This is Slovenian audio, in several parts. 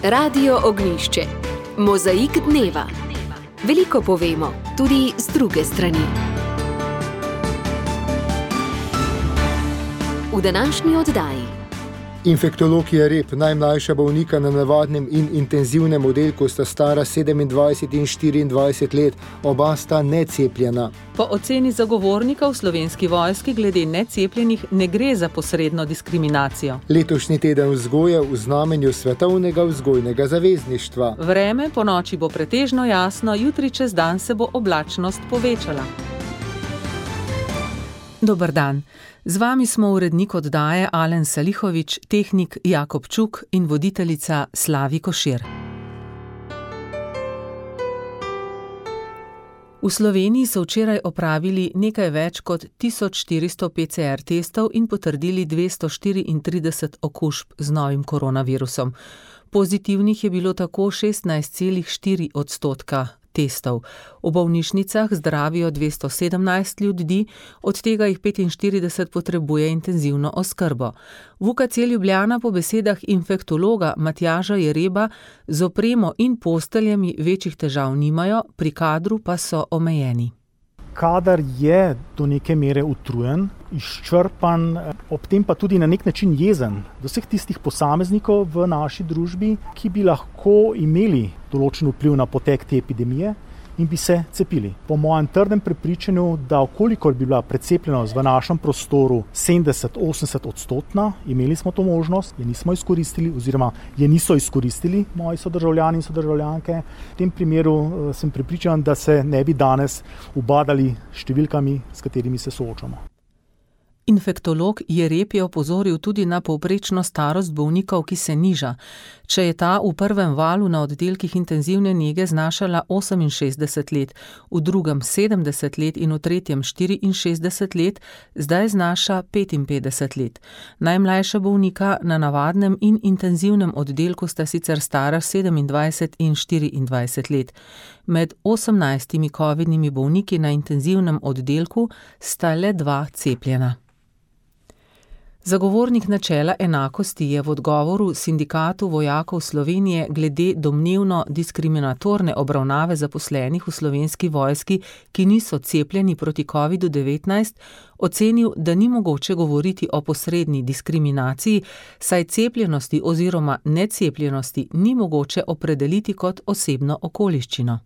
Radio Ognjišče. Mozaik dneva. Veliko povemo, tudi z druge strani. V današnji oddaji. Infektolog Jereb, najmlajša bolnika na navadnem in intenzivnem oddelku, sta stara 27 in 24 let, oba sta necepljena. Po oceni zagovornika v Slovenski vojski glede necepljenih ne gre za posredno diskriminacijo. Letošnji teden vzgoje v znamenju svetovnega vzgojnega zavezništva. Vreme po noči bo pretežno jasno, jutri čez dan se bo oblačnost povečala. Dober dan. Z vami smo urednik oddaje Alen Salihovič, tehnik Jakob Čuk in voditeljica Slavi Košir. V Sloveniji so včeraj opravili nekaj več kot 1400 PCR testov in potrdili 234 okužb z novim koronavirusom. Pozitivnih je bilo tako 16,4% testov. V bolnišnicah zdravijo 217 ljudi, od tega jih 45 potrebuje intenzivno oskrbo. V UKC Ljubljana po besedah infektologa Matjaža Jereba z opremo in posteljami večjih težav nimajo, pri kadru pa so omejeni. Kadar je do neke mere utrujen, izčrpan, ob tem pa tudi na nek način jezen do vseh tistih posameznikov v naši družbi, ki bi lahko imeli določen vpliv na potek te epidemije in bi se cepili. Po mojem trdem prepričanju, da okolikor bi bila precepljenost v našem prostoru 70-80%, imeli smo to možnost, je nismo izkoristili oziroma je niso izkoristili moji sodržavljani in sodržavljanke. V tem primeru sem prepričan, da se ne bi danes ubadali številkami, s katerimi se soočamo. Infektolog Jereb je opozoril tudi na povprečno starost bolnikov, ki se niža. Če je ta v prvem valu na oddelkih intenzivne nege znašala 68 let, v drugem 70 let in v tretjem 64 let, zdaj znaša 55 let. Najmlajša bolnika na navadnem in intenzivnem oddelku sta sicer stara 27 in 24 let. Med 18 covidnimi bolniki na intenzivnem oddelku sta le 2 cepljena. Zagovornik načela enakosti je v odgovoru Sindikatu vojakov Slovenije glede domnevno diskriminatorne obravnave zaposlenih v Slovenski vojski, ki niso cepljeni proti COVID-19, ocenil, da ni mogoče govoriti o posredni diskriminaciji, saj cepljenosti oziroma necepljenosti ni mogoče opredeliti kot osebno okoliščino.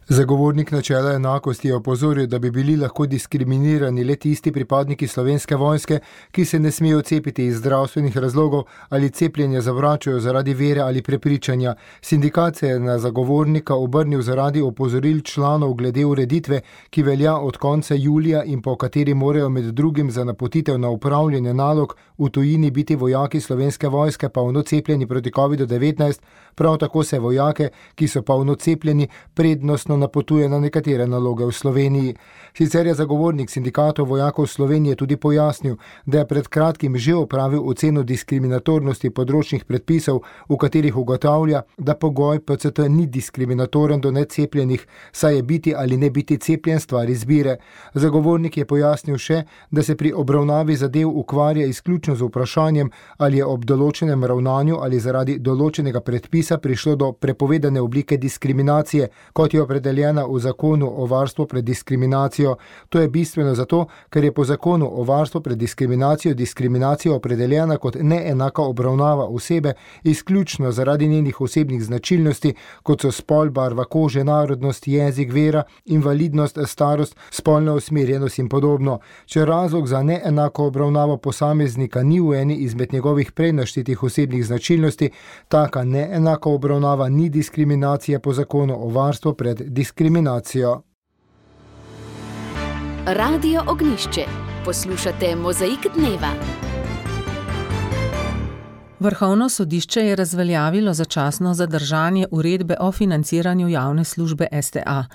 Zagovornik načela enakosti je opozoril, da bi bili lahko diskriminirani le tisti pripadniki Slovenske vojske, ki se ne smejo cepiti iz zdravstvenih razlogov ali cepljenje zavračajo zaradi vere ali prepričanja. Sindikat se je na zagovornika obrnil zaradi opozoril članov glede ureditve, ki velja od konca julija in po kateri morajo med drugim za napotitev na upravljanje nalog v tujini biti vojaki Slovenske vojske polno cepljeni proti COVID-19, prav tako se vojake, ki so polno cepljeni, prednostno napotuje na nekatere naloge v Sloveniji. Sicer je zagovornik Sindikatov vojakov Slovenije tudi pojasnil, da je pred kratkim že opravil oceno diskriminatornosti področnih predpisov, v katerih ugotavlja, da pogoj PCT ni diskriminatoren do necepljenih, saj je biti ali ne biti cepljen stvar izbire. Zagovornik je pojasnil še, da se pri obravnavi zadev ukvarja izključno z vprašanjem, ali je ob določenem ravnanju ali zaradi določenega predpisa prišlo do prepovedane oblike diskriminacije, kot je opredeljena v zakonu o varstvu pred diskriminacijo. To je bistveno zato, ker je po zakonu o varstvu pred diskriminacijo opredeljena kot neenaka obravnava osebe izključno zaradi njenih osebnih značilnosti, kot so spol, barva kože, narodnost, jezik, vera, invalidnost, starost, spolna usmerjenost in podobno. Če razlog za neenako obravnavo posameznika ni v eni izmed njegovih prej naštetih osebnih značilnosti, taka neenaka obravnava ni diskriminacija po zakonu o varstvu pred diskriminacijo. Radio Ognjišče. Poslušate Mozaik dneva. Vrhovno sodišče je razveljavilo začasno zadržanje uredbe o financiranju javne službe STA.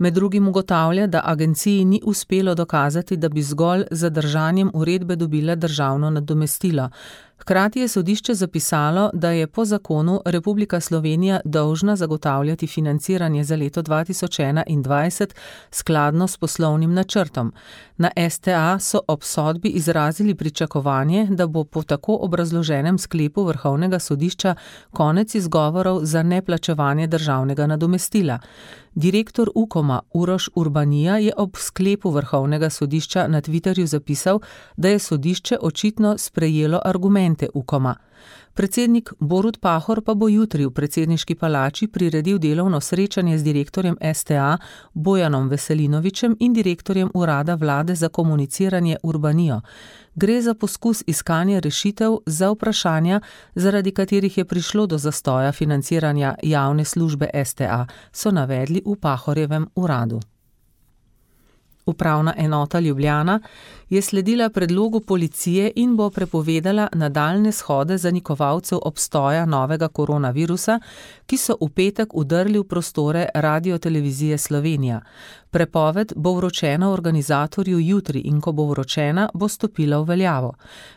Med drugim ugotavlja, da agenciji ni uspelo dokazati, da bi zgolj z zadržanjem uredbe dobila državno nadomestilo. Hkrati je sodišče zapisalo, da je po zakonu Republika Slovenija dolžna zagotavljati financiranje za leto 2021 skladno s poslovnim načrtom. Na STA so ob sodbi izrazili pričakovanje, da bo po tako obrazloženem sklepu Vrhovnega sodišča konec izgovorov za neplačevanje državnega nadomestila. Direktor Ukoma Uroš Urbanija je ob sklepu Vrhovnega sodišča na Twitterju zapisal, da je sodišče očitno sprejelo argumente Ukoma. Predsednik Borut Pahor pa bo jutri v predsedniški palači priredil delovno srečanje z direktorjem STA Bojanom Veselinovičem in direktorjem Urada vlade za komuniciranje Urbanijo. Gre za poskus iskanja rešitev za vprašanja, zaradi katerih je prišlo do zastoja financiranja javne službe STA, so navedli v Pahorjevem uradu. Upravna enota Ljubljana je sledila predlogu policije in bo prepovedala nadaljnje shode zanikovalcev obstoja novega koronavirusa, ki so v petek vdrli v prostore Radiotelevizije Slovenija. Prepoved bo vročena organizatorju jutri in ko bo vročena, bo stopila v veljavo.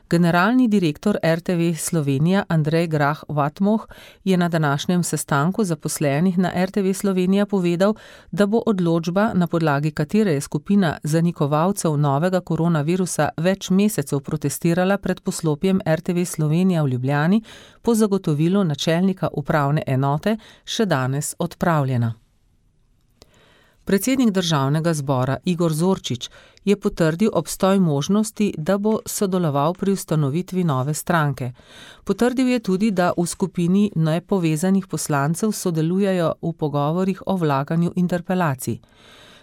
Generalni direktor RTV Slovenija Andrej Grah Vatmoh je na današnjem sestanku zaposlenih na RTV Slovenija povedal, da bo odločba, na podlagi katere je skupina zanikovalcev novega koronavirusa več mesecev protestirala pred poslopjem RTV Slovenija v Ljubljani, po zagotovilu načelnika upravne enote še danes odpravljena. Predsednik Državnega zbora Igor Zorčič je potrdil obstoj možnosti, da bo sodeloval pri ustanovitvi nove stranke. Potrdil je tudi, da v skupini nepovezanih poslancev sodelujejo v pogovorih o vlaganju interpelacij.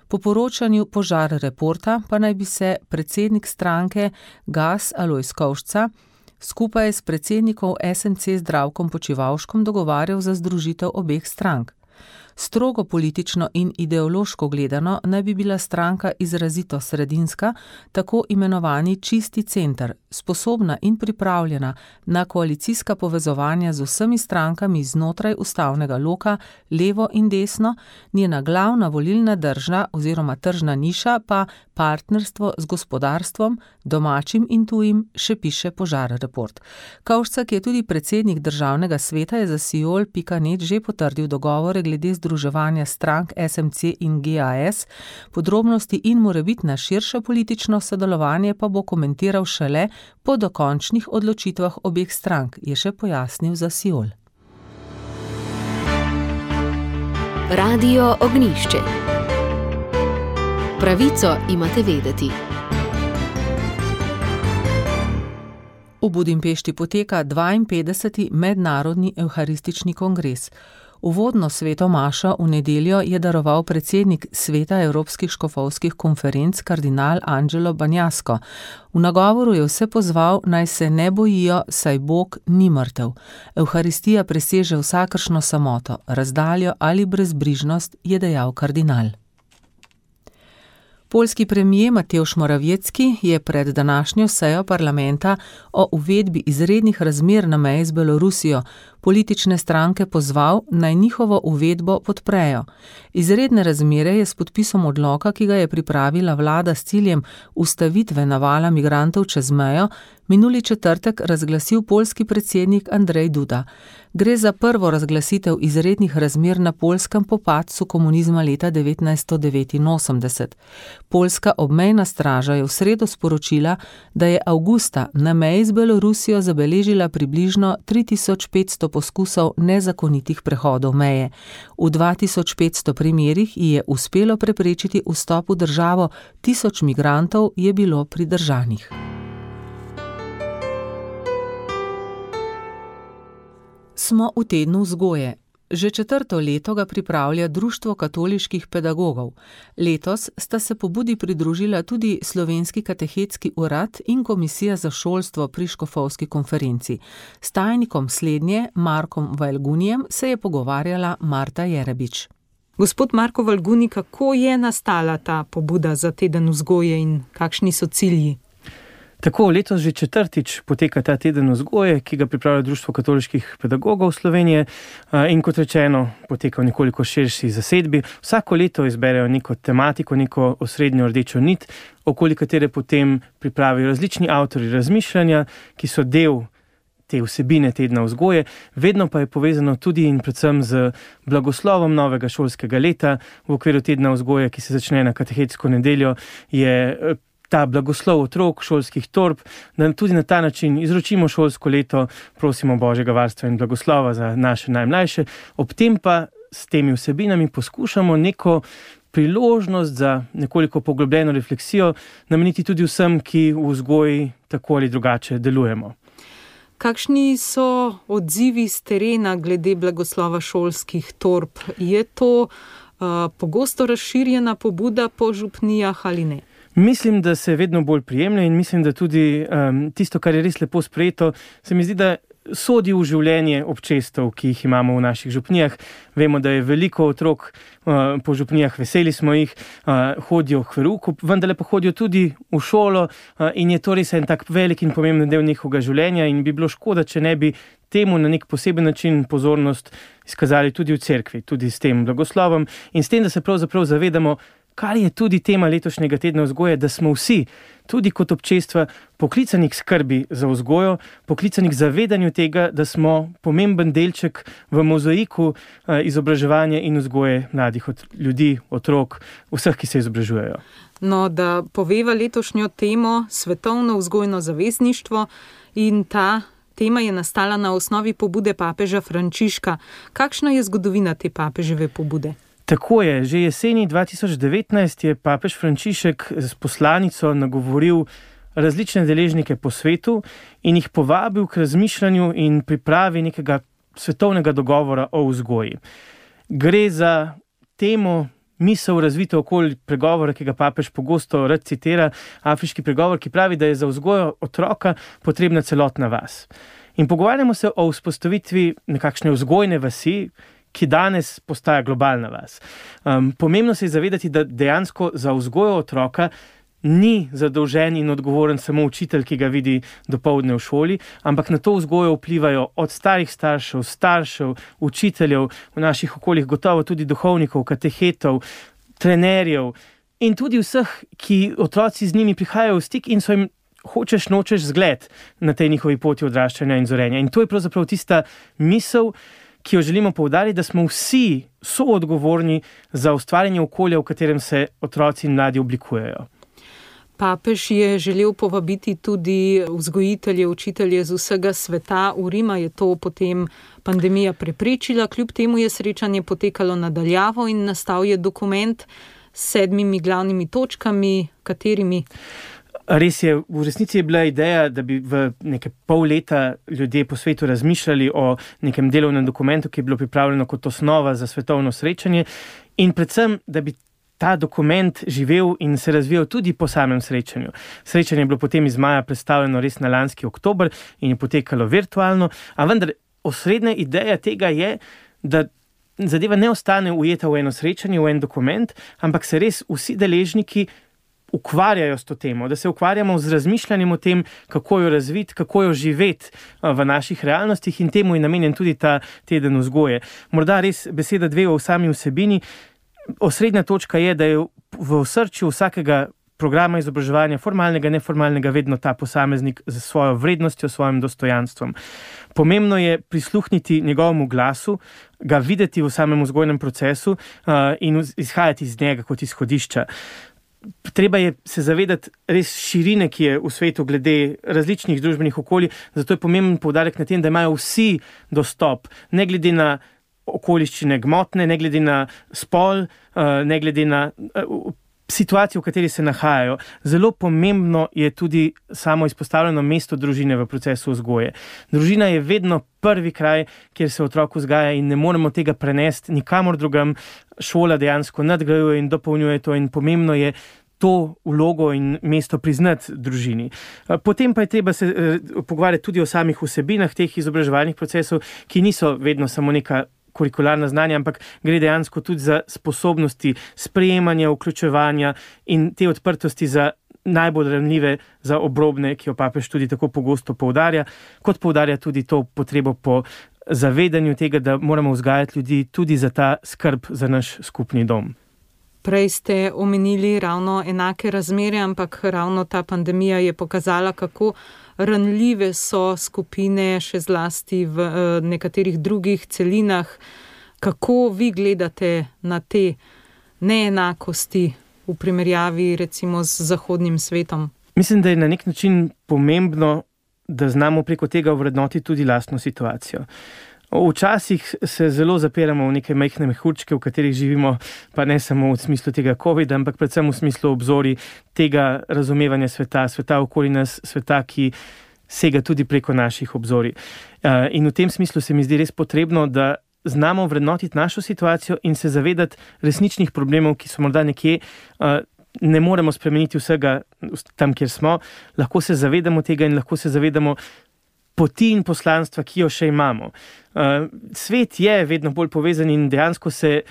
Po poročanju Požar Reporta pa naj bi se predsednik stranke Gas Alojz Kovšca skupaj s predsednikom SMC Zdravkom Počivalškom dogovarjal za združitev obeh strank. Strogo politično in ideološko gledano naj bi bila stranka izrazito sredinska, tako imenovani čisti center, sposobna in pripravljena na koalicijska povezovanja z vsemi strankami znotraj ustavnega loka, levo in desno, njena glavna volilna drža oziroma tržna niša pa partnerstvo z gospodarstvom, domačim in tujim, še piše Požar Report. Kovšca, ki je tudi predsednik Državnega sveta, je za Siol.net že potrdil dogovore glede združevanja strank SMC in GAS, podrobnosti in morebitna širše politično sodelovanje pa bo komentiral šele po dokončnih odločitvah obeh strank, je še pojasnil za Siol. Radio Ognjišče. Pravico imate vedeti. V Budimpešti poteka 52. mednarodni evharistični kongres. Uvodno sveto mašo v nedeljo je daroval predsednik Sveta evropskih škofovskih konferenc kardinal Angelo Banjasko. V nagovoru je vse pozval, naj se ne bojijo, saj Bog ni mrtev. Evharistija preseže vsakršno samoto, razdaljo ali brezbrižnost, je dejal kardinal. Poljski premijer Mateusz Morawiecki je pred današnjo sejo parlamenta o uvedbi izrednih razmer na meji z Belorusijo politične stranke pozval, naj njihovo uvedbo podprejo. Izredne razmere je s podpisom odloka, ki ga je pripravila vlada s ciljem ustavitve navala migrantov čez mejo, minuli četrtek razglasil poljski predsednik Andrzej Duda. Gre za prvo razglasitev izrednih razmer na Poljskem po padcu komunizma leta 1989. Poljska obmejna straža je v sredo sporočila, da je avgusta na meji z Belorusijo zabeležila približno 3500 poskusov nezakonitih prehodov meje. V 2500 primerih ji je uspelo preprečiti vstop v državo, 1000 migrantov je bilo pridržanih. Smo v tednu vzgoje. Že 4. leto ga pripravlja Društvo katoliških pedagogov. Letos sta se pobudi pridružila tudi Slovenski katehetski urad in Komisija za šolstvo pri škofovski konferenci. S tajnikom slednje, Markom Valgunijem, se je pogovarjala Marta Jerebič. Gospod Marko Valguni, kako je nastala ta pobuda za teden vzgoje in kakšni so cilji? Tako, letos že 4. poteka ta teden vzgoje, ki ga pripravlja Društvo katoliških pedagogov Slovenije in kot rečeno, poteka v nekoliko širši zasedbi. Vsako leto izberejo neko tematiko, neko osrednjo rdečo nit, okoli katere potem pripravijo različni avtorji razmišljanja, ki so del te vsebine tedna vzgoje, vedno pa je povezano tudi in predvsem z blagoslovom novega šolskega leta. V okviru tedna vzgoje, ki se začne na katehetsko nedeljo, je ta blagoslov otrok, šolskih torb, da tudi na ta način izročimo šolsko leto, prosimo Božjega varstva in blagoslova za naše najmlajše, ob tem pa s temi vsebinami poskušamo neko priložnost za nekoliko poglobljeno refleksijo nameniti tudi vsem, ki v vzgoji tako ali drugače delujemo. Kakšni so odzivi z terena glede blagoslova šolskih torb? Je to pogosto razširjena pobuda po župnijah ali ne? Mislim, da se vedno bolj prijemlja in mislim, da tudi tisto, kar je res lepo sprejeto, se mi zdi, da sodi v življenje občestev, ki jih imamo v naših župnijah. Vemo, da je veliko otrok po župnijah, veseli smo jih, hodijo k verouku, vendar pa hodijo tudi v šolo in je to res en tak velik in pomemben del njihovega življenja in bi bilo škoda, če ne bi temu na nek poseben način pozornost izkazali tudi v cerkvi, tudi s tem blagoslovom in s tem, da se pravzaprav zavedamo, kar je tudi tema letošnjega tedna vzgoje, da smo vsi, tudi kot občestva, poklicani k skrbi za vzgojo, poklicani k zavedanju tega, da smo pomemben delček v mozaiku izobraževanja in vzgoje mladih ljudi, otrok, vseh, ki se izobražujejo. No, da poveva letošnjo temo svetovno vzgojno zavezništvo in ta tema je nastala na osnovi pobude papeža Frančiška. Kakšna je zgodovina te papeževe pobude? Tako je, že jeseni 2019 je papež Frančišek s poslanico nagovoril različne deležnike po svetu in jih povabil k razmišljanju in pripravi nekega svetovnega dogovora o vzgoji. Gre za temo misel razvito okoli pregovora, ki ga papež pogosto rad citira, afriški pregovor, ki pravi, da je za vzgojo otroka potrebna celotna vas. In pogovarjamo se o vzpostavitvi nekakšne vzgojne vasi, ki danes postaja globalna vas. Pomembno se je zavedati, da dejansko za vzgojo otroka ni zadolžen in odgovoren samo učitelj, ki ga vidi dopoldne v šoli, ampak na to vzgojo vplivajo od starih staršev, učiteljev, v naših okoljih gotovo tudi duhovnikov, katehetov, trenerjev in tudi vseh, ki otroci z njimi prihajajo v stik in so jim hočeš nočeš zgled na tej njihovi poti odraščanja in zorenja. In to je pravzaprav tista misel, ki jo želimo poudariti, da smo vsi soodgovorni za ustvarjanje okolja, v katerem se otroci in mladi oblikujejo. Papež je želel povabiti tudi vzgojitelje, učitelje z vsega sveta. V Rima je to potem pandemija preprečila, kljub temu je srečanje potekalo nadaljavo in nastal je dokument s 7 glavnimi točkami, katerimi? Res je, v resnici je bila ideja, da bi v nekaj pol leta ljudje po svetu razmišljali o nekem delovnem dokumentu, ki je bilo pripravljeno kot osnova za svetovno srečanje in predvsem, da bi ta dokument živel in se razvijal tudi po samem srečanju. Srečanje je bilo potem iz maja predstavljeno res na lanski oktober in je potekalo virtualno, a vendar osrednja ideja tega je, da zadeva ne ostane ujeta v eno srečanje, v en dokument, ampak se res vsi deležniki ukvarjajo s to temo, da se ukvarjamo z razmišljanjem o tem, kako jo razviti, kako jo živeti v naših realnostih in temu je namenjen tudi ta teden vzgoje. Morda res beseda dve o sami vsebini. Osrednja točka je, da je v osrčju vsakega programa izobraževanja, formalnega, neformalnega, vedno ta posameznik z svojo vrednostjo, svojim dostojanstvom. Pomembno je prisluhniti njegovemu glasu, ga videti v samem vzgojnem procesu in izhajati iz njega kot izhodišča. Treba je se zavedati res širine, ki je v svetu glede različnih družbenih okolij, zato je pomemben poudarek na tem, da imajo vsi dostop, ne glede na okoliščine gmotne, ne glede na spol, ne glede na situacijo, v kateri se nahajajo. Zelo pomembno je tudi samo izpostavljeno mesto družine v procesu vzgoje. Družina je vedno prvi kraj, kjer se otrok vzgaja in ne moremo tega prenesti nikamor drugam. Šola dejansko nadgrajuje in dopolnjuje to in pomembno je to vlogo in mesto priznati družini. Potem pa je treba se pogovarjati tudi o samih vsebinah teh izobraževalnih procesov, ki niso vedno samo neka kurikularna znanja, ampak gre dejansko tudi za sposobnosti sprejemanja, vključevanja in te odprtosti za najbolj ranljive, za obrobne, ki jo papež tudi tako pogosto poudarja, kot poudarja tudi to potrebo po zavedanju tega, da moramo vzgajati ljudi tudi za ta skrb za naš skupni dom. Prej ste omenili ravno enake razmere, ampak ravno ta pandemija je pokazala, kako ranljive so skupine, še zlasti v nekaterih drugih celinah. Kako vi gledate na te neenakosti v primerjavi recimo z zahodnim svetom? Mislim, da je na nek način pomembno, da znamo preko tega ovrednotiti tudi lastno situacijo. Včasih se zelo zapiramo v neke majhne mehurčke, v katerih živimo, pa ne samo v smislu tega COVID, ampak predvsem v smislu obzori tega razumevanja sveta okoli nas, sveta, ki sega tudi preko naših obzorij. In v tem smislu se mi zdi res potrebno, da znamo vrednotiti našo situacijo in se zavedati resničnih problemov, ki so morda nekje, ne moremo spremeniti vsega tam, kjer smo, lahko se zavedamo tega in lahko se zavedamo poti in poslanstva, ki jo še imamo. Svet je vedno bolj povezan in dejansko se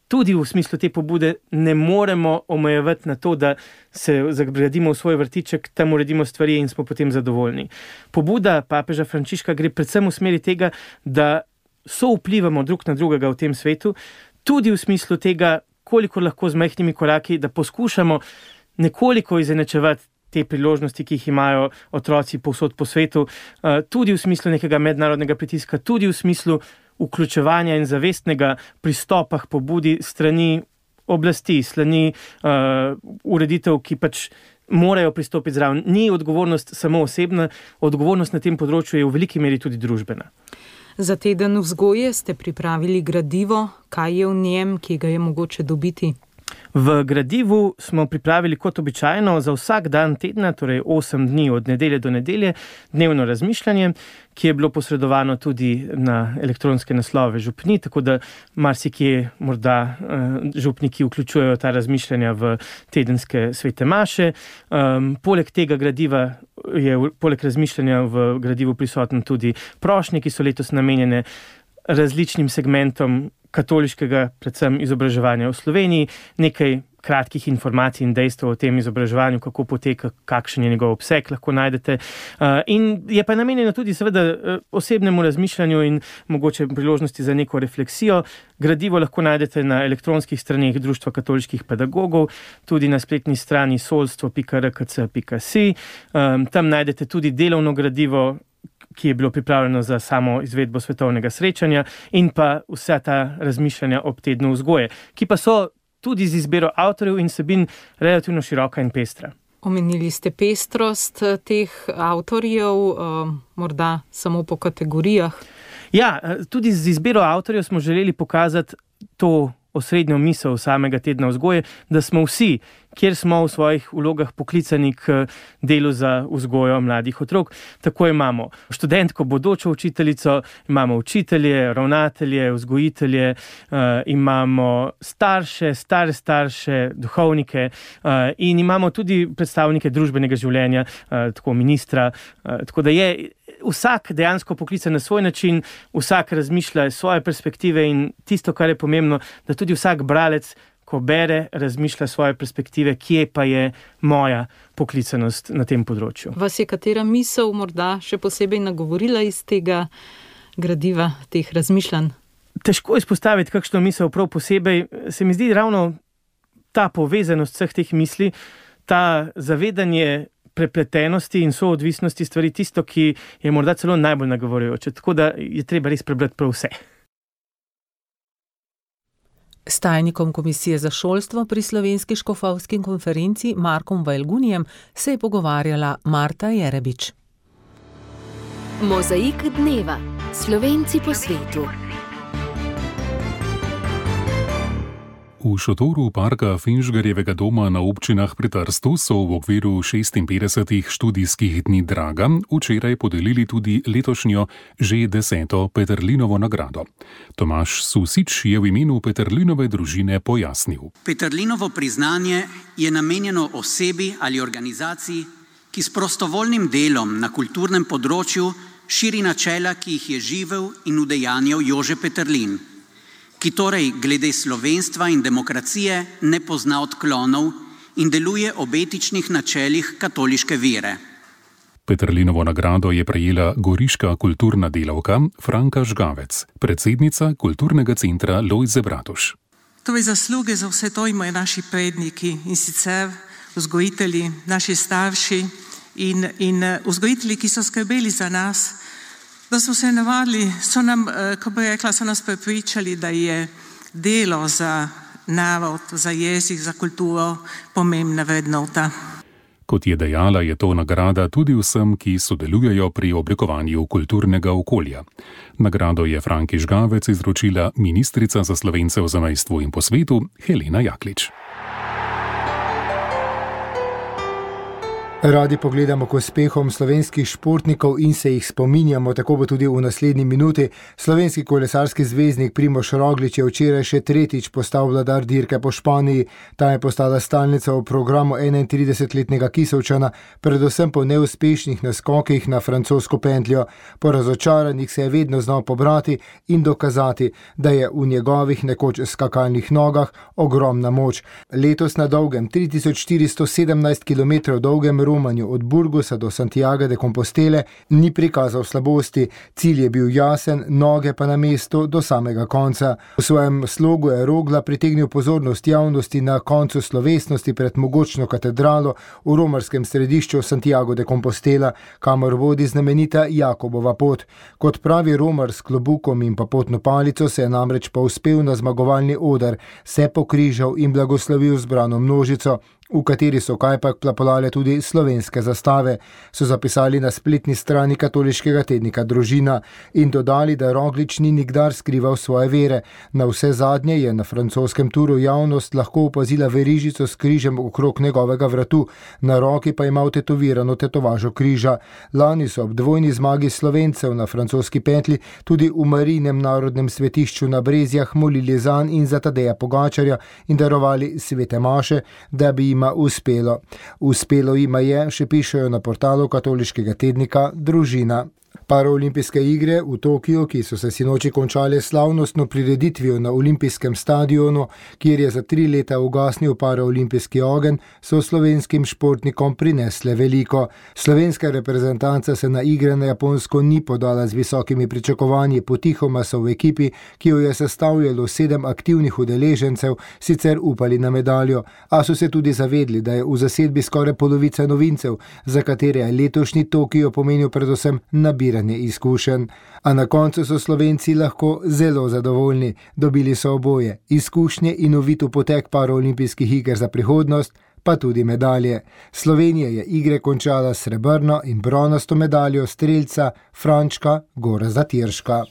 tudi v smislu te pobude ne moremo omejevati na to, da se zagradimo v svoj vrtiček, tam uredimo stvari in smo potem zadovoljni. Pobuda papeža Frančiška gre predvsem v smeri tega, da souvplivamo drug na drugega v tem svetu, tudi v smislu tega, koliko lahko z majhnimi koraki, da poskušamo nekoliko izenačevati te priložnosti, ki jih imajo otroci povsod po svetu, tudi v smislu nekega mednarodnega pritiska, tudi v smislu vključevanja in zavestnega pristopa k pobudi strani oblasti, strani ureditev, ki pač morajo pristopiti zraven. Ni odgovornost samo osebna, odgovornost na tem področju je v veliki meri tudi družbena. Za teden vzgoje ste pripravili gradivo. Kaj je v njem, ki ga je mogoče dobiti? V gradivu smo pripravili kot običajno za vsak dan tedna, torej 8 dni od nedelje do nedelje, dnevno razmišljanje, ki je bilo posredovano tudi na elektronske naslove župni, tako da marsikje morda župniki vključujejo ta razmišljanja v tedenske svete maše. Poleg tega gradiva je poleg razmišljanja v gradivu prisoten tudi prošnje, ki so letos namenjene različnim segmentom katoliškega, predvsem izobraževanja v Sloveniji, nekaj kratkih informacij in dejstev o tem izobraževanju, kako poteka, kakšen je njegov obseg, lahko najdete. In je pa namenjeno tudi seveda osebnemu razmišljanju in mogoče priložnosti za neko refleksijo. Gradivo lahko najdete na elektronskih straneh Društva katoliških pedagogov, tudi na spletni strani solstvo.rkc.si. Tam najdete tudi delovno gradivo, ki je bilo pripravljeno za samo izvedbo svetovnega srečanja in pa vsa ta razmišljanja ob tednu vzgoje, ki pa so tudi z izbiro avtorjev in vsebin relativno široka in pestra. Omenili ste pestrost teh avtorjev, morda samo po kategorijah. Ja, tudi z izbiro avtorjev smo želeli pokazati to osrednjo misel samega tedna vzgoje, da smo vsi, kjer smo v svojih vlogah poklicani k delu za vzgojo mladih otrok. Tako imamo študentko, bodočo učiteljico, imamo učitelje, ravnatelje, vzgojitelje, imamo starše, stare starše, duhovnike in imamo tudi predstavnike družbenega življenja, tako ministra, tako da je vsak dejansko poklican na svoj način, vsak razmišlja svoje perspektive in tisto, kar je pomembno, da tudi vsak bralec, ko bere, razmišlja svoje perspektive, kje pa je moja poklicanost na tem področju. Vas je katera misel morda še posebej nagovorila iz tega gradiva, teh razmišljanj? Težko izpostaviti kakšno misel prav posebej. Se mi zdi ravno ta povezanost vseh teh misli, ta zavedanje prepletenosti in soodvisnosti stvari tisto, ki je morda celo najbolj nagovorjujoče. Tako da je treba res prebrati prav vse. S tajnikom Komisije za šolstvo pri Slovenski škofovski konferenci Markom Vajlgunijem se je pogovarjala Marta Jerebič. Mozaik dneva. Slovenci po svetu. V šotoru parka Finžgarjevega doma na občinah pri Trstu so v okviru 56 študijskih dni Draga včeraj podelili tudi letošnjo že 10. Peterlinovo nagrado. Tomaž Susič je v imenu Peterlinove družine pojasnil. Peterlinovo priznanje je namenjeno osebi ali organizaciji, ki s prostovoljnim delom na kulturnem področju širi načela, ki jih je živel in udejanjal Jože Peterlin, ki torej glede slovenstva in demokracije ne pozna odklonov in deluje ob etičnih načelih katoliške vere. Peterlinovo nagrado je prejela goriška kulturna delavka Franka Žgavec, predsednica kulturnega centra Lojze Bratuš. Torej zasluge za vse to imajo naši predniki in sicer vzgojitelji, naši starši in vzgojitelji, ki so skrbeli za nas, da so se navadili, so nas prepričali, da je delo za narod, za jezik, za kulturo pomembna vrednota. Kot je dejala, je to nagrada tudi vsem, ki sodelujejo pri oblikovanju kulturnega okolja. Nagrado je Franki Žgavec izročila ministrica za Slovence v zamejstvu in po svetu Helena Jaklič. Radi pogledamo k uspehom slovenskih športnikov in se jih spominjamo, tako bo tudi v naslednji minuti. Slovenski kolesarski zvezdnik Primož Roglič je včeraj še tretjič postal vladar dirke po Španiji. Ta je postala stalnica v programu 31-letnega Kisovčana, predvsem po neuspešnih naskokih na francosko pentljo. Po razočaranjih se je vedno znal pobrati in dokazati, da je v njegovih nekoč skakalnih nogah ogromna moč. Letos na dolgem 3417 km dolgem romanju od Burgosa do Santiaga de Compostele ni prikazal slabosti, cilj je bil jasen, noge pa na mestu do samega konca. V svojem slogu je Rogla pritegnil pozornost javnosti na koncu slovesnosti pred mogočno katedralo v romarskem središču Santiago de Compostela, kamor vodi znamenita Jakobova pot. Kot pravi romar s klobukom in pa potno palico se je namreč povzpel na zmagovalni oder, se pokrižal in blagoslovil zbrano množico, v kateri so kajpak plapolale tudi slovenske zastave, so zapisali na spletni strani katoliškega tednika Družina in dodali, da Roglič ni nikdar skrival svoje vere. Na vse zadnje je na francoskem turu javnost lahko opazila verižico s križem okrog njegovega vratu, na roki pa ima tetovirano tetovažo križa. Lani so ob dvojni zmagi Slovencev na francoski petli tudi v Marijinem narodnem svetišču na Brezjah molili zanj in za Tadeja Pogačarja in darovali svete maše, da bi jima uspelo. Uspelo jima je, še pišejo na portalu katoliškega tednika Družina. Paraolimpijske igre v Tokiu, ki so se sinoči končale slavnostno prireditvijo na olimpijskem stadionu, kjer je za 3 leta ugasnil paraolimpijski ogenj, so slovenskim športnikom prinesle veliko. Slovenska reprezentanca se na igre na Japonsko ni podala z visokimi pričakovanji, potihoma so v ekipi, ki jo je sestavljalo 7 aktivnih udeležencev, sicer upali na medaljo, a so se tudi zavedli, da je v zasedbi skoraj polovica novincev, za katere je letošnji Tokio pomenil predvsem nabiranje izkušenj. A na koncu so Slovenci lahko zelo zadovoljni. Dobili so oboje, izkušnje in uvit v potek paraolimpijskih iger za prihodnost, pa tudi medalje. Slovenija je igre končala s srebrno in bronasto medaljo strelca Frančka Gorazda Tirška.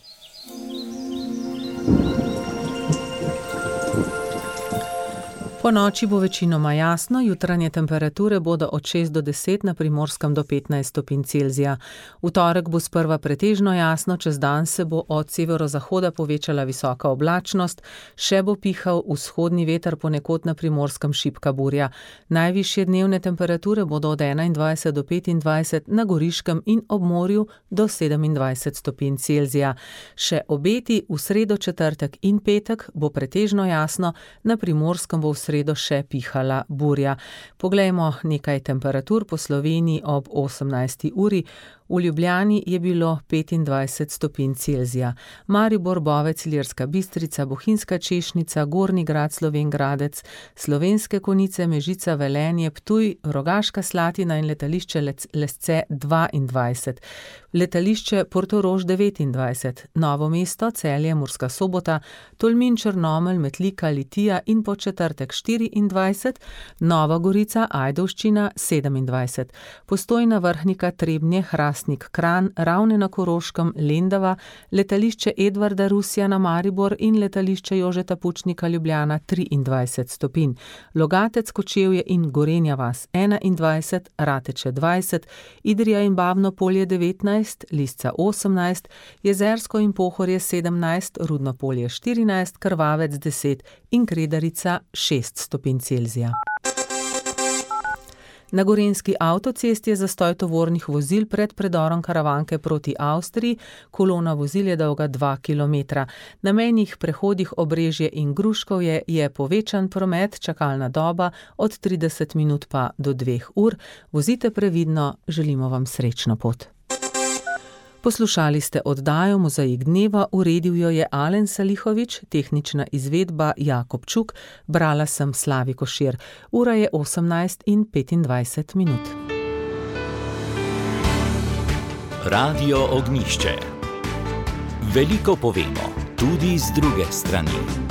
Po noči bo večinoma jasno, jutranje temperature bodo od 6 do 10, na Primorskem do 15 stopinj Celzija. V torek bo sprva pretežno jasno, čez dan se bo od severozahoda povečala visoka oblačnost, še bo pihal vzhodni veter, ponekod na Primorskem šibka burja. Najvišje dnevne temperature bodo od 21 do 25, na Goriškem in ob morju do 27 stopinj Celzija. Še obeti v sredo, četrtek in petek bo pretežno jasno, na Primorskem bo v sredo še pihala burja. Poglejmo nekaj temperatur po Sloveniji ob 18. uri. V Ljubljani je bilo 25 stopinj Celzija. Maribor, Bovec, Ilirska Bistrica, Bohinjska Češnica, Gornji Grad, Slovenj Gradec, Slovenske Konjice, Mežica, Velenje, Ptuj, Rogaška Slatina in letališče Lesce 22. Letališče Portorož 29, Novo mesto, Celje, Murska Sobota, Tolmin, Črnomelj, Metlika, Litija in po četrtek 24, Nova Gorica, Ajdovščina 27, Postojna, Vrhnika, Trebnje, Hrastnik, Kranj, Ravne na Koroškem, Lendava, letališče Edvarda Rusija na Maribor in letališče Jožeta Pučnika Ljubljana 23 stopinj, Logatec, Kočevje in Gorenja vas 21, Rateče 20, Idrija in Babno Polje 19, Lisca 18, Jezersko in Pohorje 17, Rudno Polje 14, Krvavec 10 in Kredarica 6 stopinj Celzija. Na gorenjski avtocesti je zastoj tovornih vozil pred predorom Karavanke proti Avstriji, kolona vozil je dolga 2 km. Na mejnih prehodih Obrežje in Gruškovje je povečan promet, čakalna doba od 30 minut pa do 2 ur. Vozite previdno, želimo vam srečno pot. Poslušali ste oddajo Mozaik dneva, uredil jo je Alen Salihovič, tehnična izvedba Jakob Čuk, brala sem Slavi Košir. Ura je 18:25. Radio Ognjišče. Veliko povemo, tudi z druge strani.